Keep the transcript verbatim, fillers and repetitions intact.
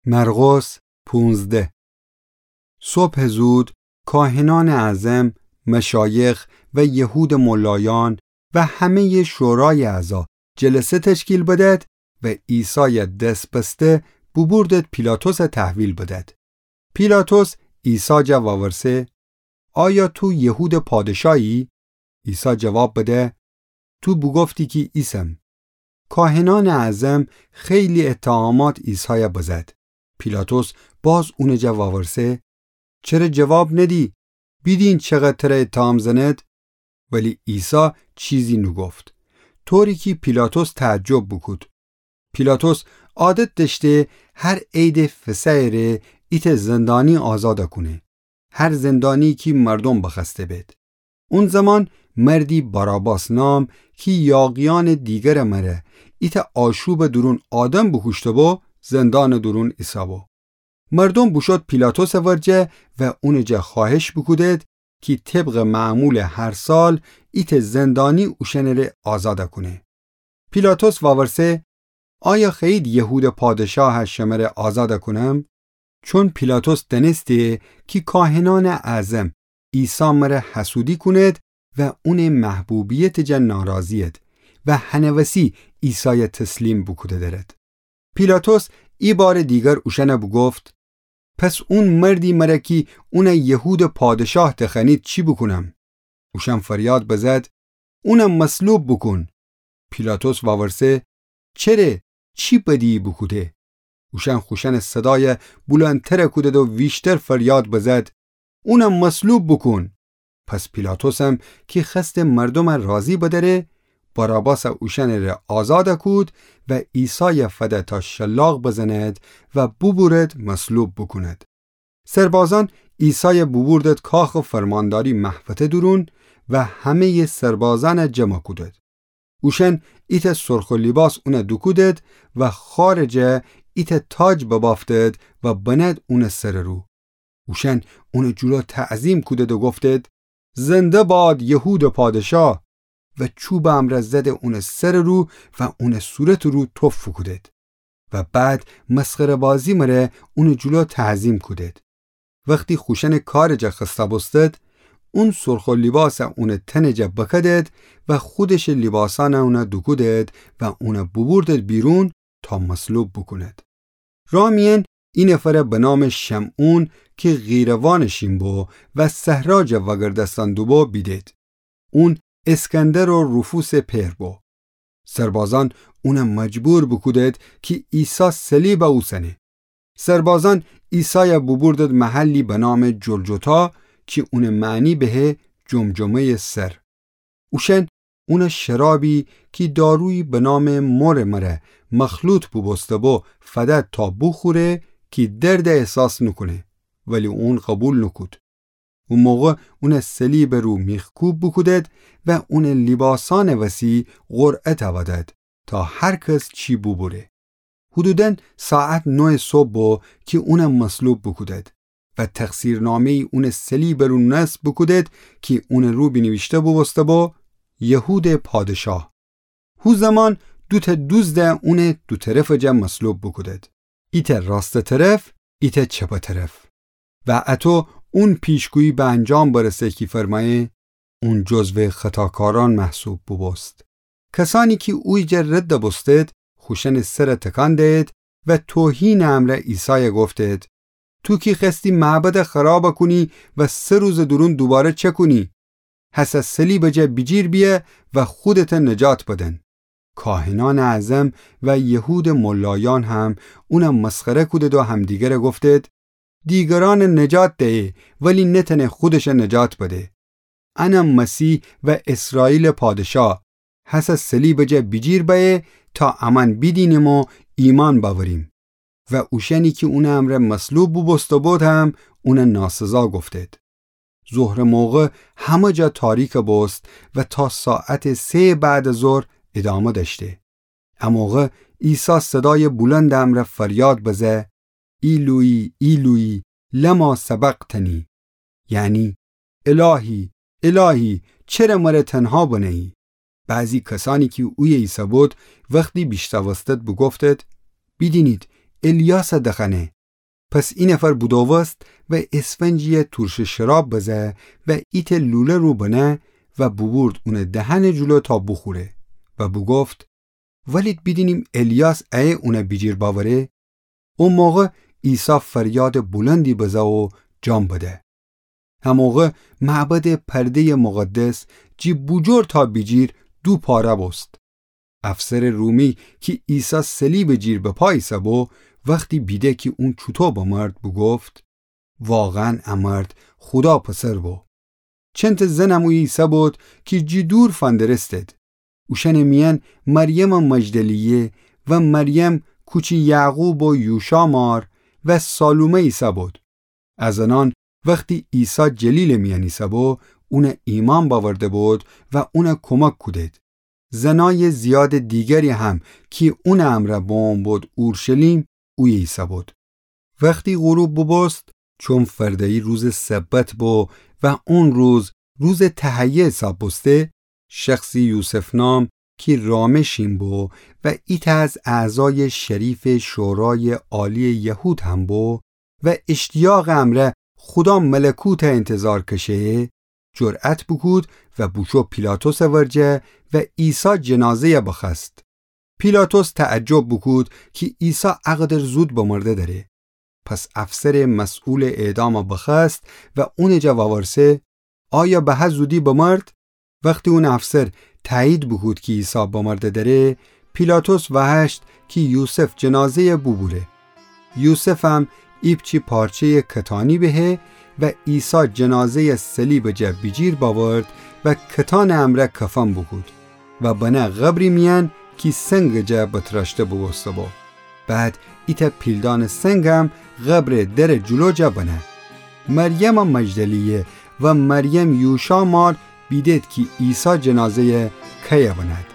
مرقس پونزده. صبح زود کاهنان اعظم، مشایخ و یهود ملایان و همه شورای اعضا جلسه تشکیل بدد و عیسای دس بسته ببردد پیلاطس تحویل بدد. پیلاطس عیسی جا وورسه: آیا تو یهود پادشاهی؟ عیسی جواب بده: تو بوگفتی کی ایسم. کاهنان اعظم خیلی اتهامات عیسای بزد. پیلاطس باز اون جا وورسه: چره جواب ندی؟ بیدین چقدر تره اتهام زند؟ ولی عیسی چیزی نوگفت، طوری کی پیلاطس تعجب بوکود. پیلاطس عادت دأشته هر عید فصحٚ ره ایتأ زندانی آزاد کونه، هر زندانی کی مردوم بخوأسته بید. اون زمان مردی باراباس نام کی یاغیأنٚ دیگرٚ مره ایتأ آشوبٚ دورون آدم بوکوشته‌بو، زندانٚ دورون ایسه‌بو. مردوم بوشود پیلاطسٚ ورجه و اونٚ جا خوأهش بوکودد کی طبقٚ معمولٚ هر سال ایتأ زندانی اوشأنٚ ره آزاد کونه. پیلاطس وورسه: آیا خوأیید یهودٚ پادشاه شمره آزاد کونم؟ چون پیلاطس دأنسته کی کاهنأنٚ اعظم عیسی مره حسودی کونید و اونٚ محبوبیتٚ جا ناراضی‌ید و هنٚ وسی عیسای تسلیم بوکوده درد. پیلاطس ایبارٚ دیگر اوشأن بوگفت: پس اون مردی مره کی اون یهودٚ پادشاه دخوأنید چی بوکونم؟ اوشأن فریاد بزد: اون مصلوب بوکون. پیلاطس وورسه: چره؟ چی بدیی بوکوده؟ اوشأن خوشأنٚ صدای بولندتر کودد و ویشتر فریاد بزد: اون مصلوب بوکون. پس پیلاطسم کی خوأسته مردوم راضی بدأره، باراباس اوشأنٚ ره آزاد کود و عیسای فده تا شلاق بزند و بوبورد مصلوب بوکوند. سربازأن عیسای بوبوردد کاخٚ فرمانداری محوطه دورون و همه‌یٚ سربازأن جمع کودد. اوشأن ایتأ سرخٚ لیباس اون دوکودد و خارٚ جا ایتأ تاج ببافتد و بند اونٚ سرٚ رو. اوشأن اونٚ جلو تعظیم کودد و گفتد: زنده باد یهودٚ پادشاه! و چوبٚ امرأ زده اونٚ سرٚ رو و اونٚ صورتٚ رو تف کودد. و بعد مسخره‌بازی مره اونٚ جلو تعظیم کودد. وختی خوشأنٚ کارٚ جا خسته بوستد، اون سرخٚ لیباس اونٚ تنٚ جا بکدد و خودشٚ لیباسأن اون دوکودد و اون بوبوردد بیرون تا مصلوب بوکوند. راه میأن ای نفر به نام شمعون کی قیروانٚ شین بو و صحرا جا وأگردأستن دوبو بیدید. اون اسکندر و روفوسٚ پئر بو. سربازأن اون مجبور بوکودید کی عیسی صلیب اوسنه. سربازأن عیسای بوبوردید محلی به نام جلجتا کی اونٚ معنی به جمجمه‌یٚ سر. اوشأن اون شرابی کی دارویی به نام مرٚ مره مخلوط بوبوسته‌بو فدد تا بوخوره کی درد احساس نوکونه، ولی اون قوبیل نوکود. او موقع اون صلیبٚ رو میخکوب بوکودید و اونٚ لیباسأنٚ وسی قرعه تأودید تا هر کس چی بوبوره. حدوداً ساعت نویٚ صبح بو کی اون مصلوب بوکودید و تقصیرنامه‌یی اونٚ صلیبٚ رو نصب بوکودید کی اونٚ رو بینیویشته بوبوسته‌بو: یهودٚ پادشاه. هو زمان دوتأ دوزد اونٚ دو طرفٚ جا مصلوب بوکودید، ایتأ راستٚ طرف، ایتأ چپٚ طرف. و اطو اون پیشگویی به انجام برسه کی فرمأیه: اون جزوٚ خطاکارأن محسوب بوبوست. کسأنی کی اویه جا رد بوستید، خوشأنٚ سر تکان دیید و توهینٚ امرأ عیسای گفتید: تو کی خوأستی معبد خراب کونی و سه روزٚ دورون دوباره چکونی، هسه صلیبٚ جا بیجیر بیأ و خودت نجات بدن. کاهنأنٚ اعظم و یهودٚ ملایأن هم اون مسخره کودید و همدیگر گفتید: دیگرأن نجات دیه، ولی نتأنه خودش نجات بده. انم مسیح و اسرائیلٚ پادشاه، هسه صلیبٚ جا بیجیر بأیه تا امأن بیدینیم و ایمأن بأوریم. و اوشأنی کی اونٚ امرأ مصلوب بوبوسته‌بود هم اون ناسزا گفتید. ظهرٚ موقع همه جا تاریک بوست و تا ساعتٚ سه‌یٚ بعدٚ ظهر ادامه دأشته. اموقع عیسی صدایٚ بلندٚ امرأ فریاد بزه: ایلویی، ایلویی، لما سبقتنی؟ یعنی: الهی، الهی، چره مر تنها بنهیی؟ بعضی کسأنی کی اویه ایسه‌بود، وختی بیشنوستید بوگفتید: بیدینید، الیاس دخوأنه. پس اینفر بودووست و اسفنجی‌یه تورشٚ شراب بزه و ایتأ لوله رو بنه و بوبورد اونٚ دهنٚ جلو تا بوخوره و بوگفت: ولید بیدینیم الیاس ایه اونه بیجیر باوره؟ او موقع عیسی فریادٚ بلندی بزه و جان بده. هموقع معبدٚ پرده‌یٚ مقدس جی بوجور تا بیجیر دو پاره بوست. افسرٚ رومی کی عیسی صلیبٚ جیر به پا ایسه‌بو، وختی بیده کی اون چوطو بمرد، بوگفت: واقعاً ا مرد خودا پسر بو. چندتأ زنم اویه ایسه‌بود کی جی دور فندرستید. اوشأنٚ میأن مریمٚ مجدلیه و مریم کوچی یعقوب و یوشا مار و سالومه ایسه‌بود. ا زنأن وختی عیسی جلیلٚ میأن ایسه‌بو، اون ایمأن باورده‌بود و اون کمک کودید. زنأیٚ زیادٚ دیگری هم کی اونٚ امرأ بمو بود اورشلیم، اویه ایسه‌بود. وختی غروب بوبوست، چون فرده‌یی روزٚ سبت بو و اون روز روزٚ تهیه حساب بوسته، شخصی یوسف نام کی رامٚ شین بو و ایتأ از اعضایٚ شریفٚ شورایٚ عالیٚ یهود هم بو و اشتیاقٚ امرأ خودا ملکوته اینتظار کشه‌یه، جرأت بوکود و بوشو پیلاطسٚ ورجه و عیسی جنازه‌یه بخوأست. پیلاطس تعجب بوکود کی عیسی اقدر زود بمرده دأره. پس افسرٚ مسئولٚ اعدام بخوأست و اونٚ جا وورسه: آیا به هه زودی بمرد؟ وختی اون افسر تأیید بوکود کی عیسی بمرده دأره، پیلاطس وهشت کی یوسف جنازه‌یه بوبوره. یوسفم ایپچی پارچه‌یٚ کتانی بهه و عیسی جنازه‌یه صلیبٚ جا بیجیر باورد و کتانٚ امرأ کفن بوکود و بنه قبری میأن کی سنگٚ جا بتراشته بوبوسته‌بو. بعد ایتأ پیلدأنٚ سنگم قبرٚ درٚ جلو جا بنه. مریمٚ مجدلیه و مریم یوشا مار بیدید کی عیسی جنازه‌یه کیه بنه‌د.